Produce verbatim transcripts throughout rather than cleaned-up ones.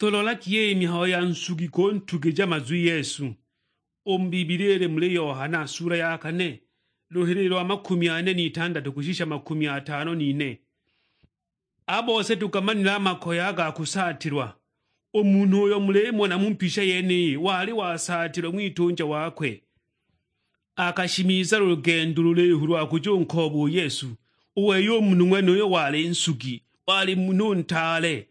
Tulolagi iyi mihayo ya nsugi kuntugija mazwi Yesu. U mu Bibilia ili muli Yohana sula ya kane, luhilili lwa makumi ane n'itandatu kushisha makumi atano n'ine. A bose tukamanile a makoye a ga kusaatilwa. U munhu uyo mulimona mu mbisha yeniyi wali wasaatilwe ng'witunja wakwe. Akashimiza lugendo lulihu lwa kuja unkooba u Yesu. U wei u munhu ng'wenuyo wali nsugi, wali munhu ntaale,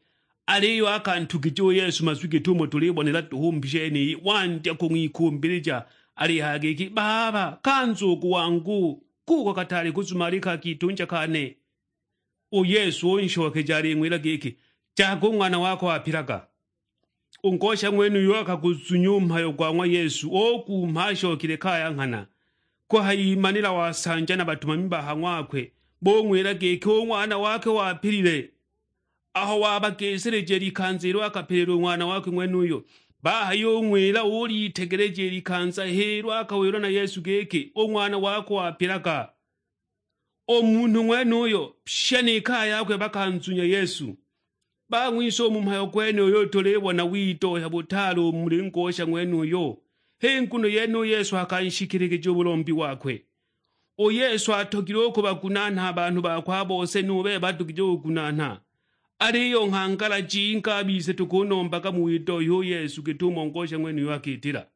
aliyo akantugija u Yesu mazwi git'umo tulibonela duhu u mu mbisha yeniyi, wandya kung'wikumbilija, alihaya giki, "Baba, ka nzugu wangu, kuko kataali kuzumalika a kitunja kane." U Yesu unshokeja aling'wila giki, "Jaga u ng'wana wako wapilaga." U ngosha ng'wenuyo akaguzunya u mhayo gwa ng'wa Yesu, ugumha ashokile kaya nghana. Kuhayimanila wasanja na batumami ba ha ng'wakwe, bung'wila giki u ng'wana wakwe wapilile. Aho wabagisilija i likanza ilo akapilila u ng'wana wakwe ng'wenuyo, bahayung'wila ulitegeleja i likanza h'ilo akawilwa na Yesu giki, "U ng'wana wako wapilaga." U munhu ng'wenuyo pye ni kaya yakwe bakanzunya Yesu. Bang'wise u mu mhayo gwenuyo tulibona widohya butaale u muli ngosha ng'wenuyo. H'i nguno yene u Yesu akanshikiligija u bulombi wakwe. U Yesu atogilwe u kubagunaana a banhu bakwe a bose, nu bebe atogilwe u kugunaana. Aliyo nghangala jingi a bise tukunombaga mu widohya u Yesu git'umo ngosha ng'wenuyo akitila.